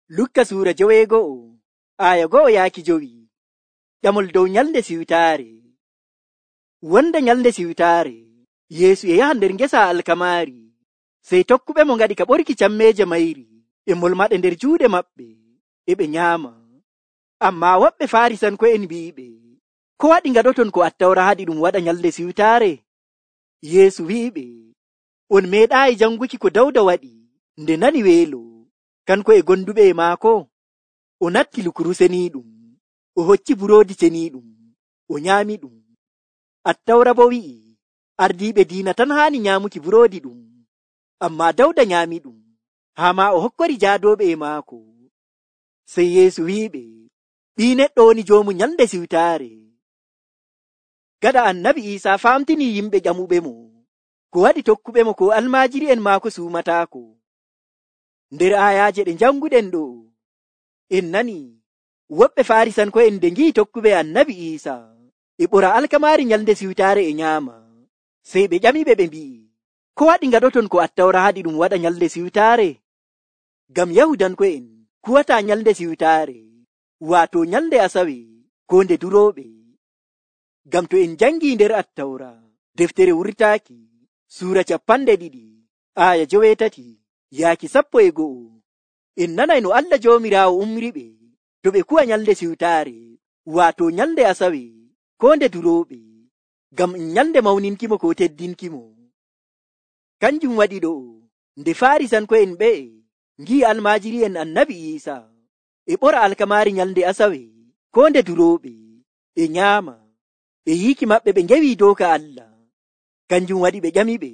Lukka suura 9 aya 1-5. Ƴamol dow nyalnde siwtaare. Wonde nyalnde siwtaare, Yeesu e yaha nder ngesa alkamaari, sey tokkuɓe mo ngaɗi ka ɓorki cammeeje mayri e molmaɗe nder juuɗe maɓɓe, e ɓe nyaama. Ammaa woɓɓe Faarisanko'en mbi'iɓe, ko waɗi ngaɗoton ko Attawra haɗi ɗum waɗa nyalnde siwtaare? Yeesu wi'iɓe, on meeɗaayi janguki ko Dawda waɗi nde nani weelo, kanko e gonduɓe e maako. O natti lukuru seniiɗum, o hocci buroodi ceniiɗum, o nyaami ɗum. Attawra bo wi'i, ardiiɓe diina tan haani nyaamuki buroodi ɗum, ammaa Dawda nyaami ɗum, haa maa o hokkori jaadooɓe e maako. Sey Yeesu wi'iɓe, Ɓii Neɗɗo woni joomu nyalnde siwtaare. Gaɗa Annabi Iisaa famtinii yimɓe ƴamuɓe mo, ko waɗi tokkuɓe mo ko almaajiri'en maako suumataako. Nder aayaaje ɗe janguɗen ɗo, en nani woɓɓe Faarisanko'en nde ngi'i tokkuɓe Annabi Iisaa e ɓora alkamaari nyalnde siwtaare e nyaama, sey ɓe ƴamiɓe ɓe mbi'i, ko waɗi ngaɗoton ko Attawra haɗi ɗum waɗa nyalnde siwtaare? Ngam Yahudanko'en kuwataa nyalnde siwtaare, waato nyalnde Asawe ko nde durooɓe. Ngam to en jangii nder Attawra, deftere wurtaaki, suura 2 aya 8-11, en nanay no Allah Joomiraawo umriɓe to ɓe kuwa nyalnde siwtaare, waato nyalnde Asawe ko nde durooɓe, ngam nyalnde mawninkimo ko teddinkimo. Kanjum waɗi ɗo nde Faarisanko'en ɓe'e ngi'i almaajiri'en Annabi Iisaa e ɓora alkamaari nyalnde Asawe ko nde durooɓe, e nyaama, e yiiki maɓɓe ɓe ngewi dooka Allah. Kanjum waɗi ɓe ƴamiɓe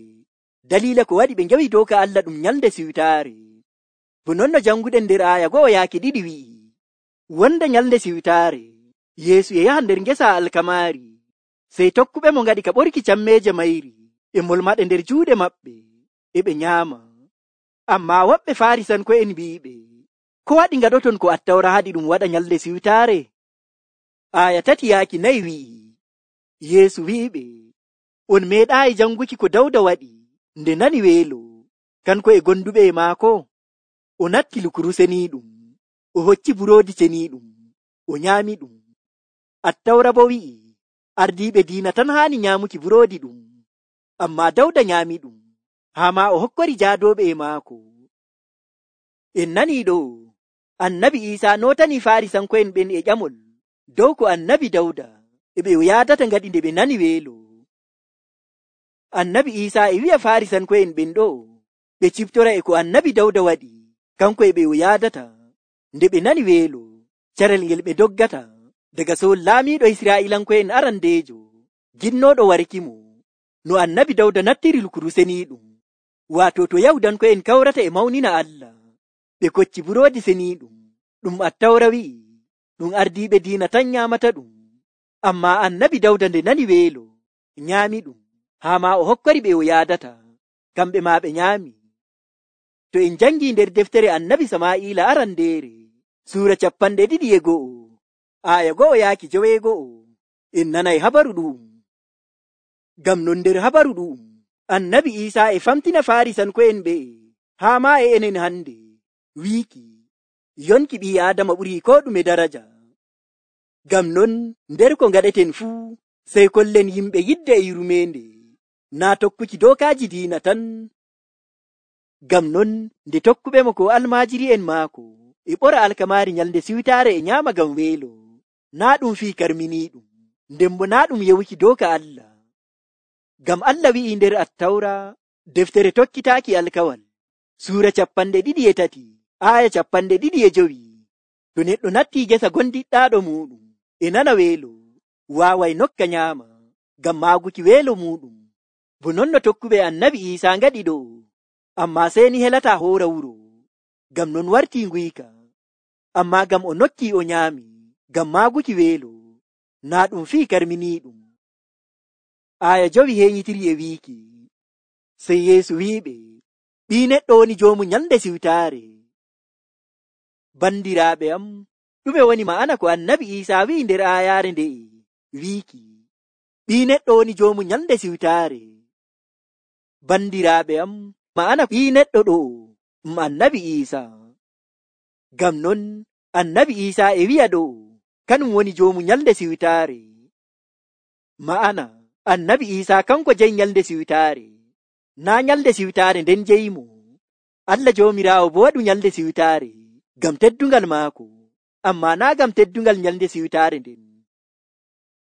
daliila ko waɗi ɓe ngewi dooka Allah ɗum nyalnde siwtaare. Bo non no janguɗen nder aya 1-2 wi'i, wonde nyalnde siwtaare, Yeesu e yaha nder ngesa alkamaari, sey tokkuɓe mo ngaɗi ka ɓorki cammeeje mayri e molmaɗe nder juuɗe maɓɓe, e ɓe nyaama. Ammaa woɓɓe Faarisanko'en mbi'iɓe, ko waɗi ngaɗoton ko Attawra haɗi ɗum waɗa nyalnde siwtaare? Aya 3-4 wi'i, Yeesu wi'iɓe, on meeɗaayi janguki ko Dawda waɗi nde nani weelo, kanko e gonduɓe e maako. O natti lukuru seniiɗum, o hocci buroodi ceniiɗum, o nyaami ɗum. Attawra bo wi'i, ardiiɓe diina tan haani nyaamuki buroodi ɗum, ammaa Dawda nyaami ɗum, haa maa o hokkori jaadooɓe e maako. En nanii ɗo, Annabi Iisaa nootanii Faarisanko'en ɓen e ƴamol dow ko Annabi Dawda e ɓe o yaadata ngaɗi nde ɓe nani weelo. Annabi Iisaa e wi'a Faarisanko'en ɓen ɗo ɓe ciftora e ko Annabi Dawda waɗi kanko e ɓe o yaadata nde ɓe nani weelo, carel ngel ɓe doggata daga Sool laamiiɗo Israa'iilanko'en arandeejo ginnooɗo warkimo, no Annabi Dawda nattiri lukuru seniiɗum. Waato to Yahudanko'en kawrata e mawnina Allah, ɓe kocci buroodi seniiɗum, ɗum Attawra wi'i ɗum ardiiɓe diina tan nyaamata ɗum, ammaa Annabi Dawda nde nani weelo nyaami ɗum, haa maa o hokkori ɓe o yaadata, kamɓe maa ɓe nyaami. To en jangii nder deftere Annabi Samaa'ila arandeere, suura 21 aya 1-9, en nanay habaru ɗu'um. Ngam non nder habaru ɗu'um, Annabi Iisaa e famtina Faarisanko'en ɓe'e, haa maa e enen hande, wiiki, yonki ɓii Aadama ɓurii koo ɗume daraja. Ngam non nder ko ngaɗeten fuu, sey kollen yimɓe yidde e yurmeende, naa tokkuki dookaaji diina tan. Ngam non nde tokkuɓe mo ko almaajiri'en maako e ɓora alkamaari nyalnde siwtaare e nyaama ngam weelo, naa ɗum fii karminiiɗum, nden bo naa ɗum yewuki dooka Allah. Ngam Allah wi'i nder Attawra, deftere tokkitaaki alkawal, suura 23 aya 25, to neɗɗo nattii gesa gondiɗɗaaɗo muuɗum e nana weelo, waaway nokka nyaama ngam maaguki weelo muuɗum. Bo non no tokkuɓe Annabi Iisaa ngaɗi ɗo, ammaa seeni helataa hoora wuro, ngam non wartii nguyka, ammaa ngam o nokkii o nyaami ngam maaguki weelo, naa ɗum fii karminiiɗum. Aya 5 heeñitiri e wiiki, sey Yeesu wi'iɓe, Ɓii Neɗɗo woni joomu nyalnde siwtaare. Bandiraaɓe am, ɗume woni ma'ana ko Annabi Iisaa wi'i nder aayaare nde'e, wiiki, Ɓii Neɗɗo woni joomu nyalnde siwtaare. Bandiraaɓe am, ma'ana Ɓii Neɗɗo ɗo Annabi Iisaa. Ngam non annabi Iisaa e wi'a ɗo kanum woni joomu nyalde siwtaare. Ma'ana annabi Iisaa kanko jeyi nyalde siwtaare, naa nyalde siwtaare nden jeyimo. Allah Joomiraawo bo waɗu nyalde siwtaare ngam teddungal maako, ammaa naa ngam teddungal nyalde siwtaare nden.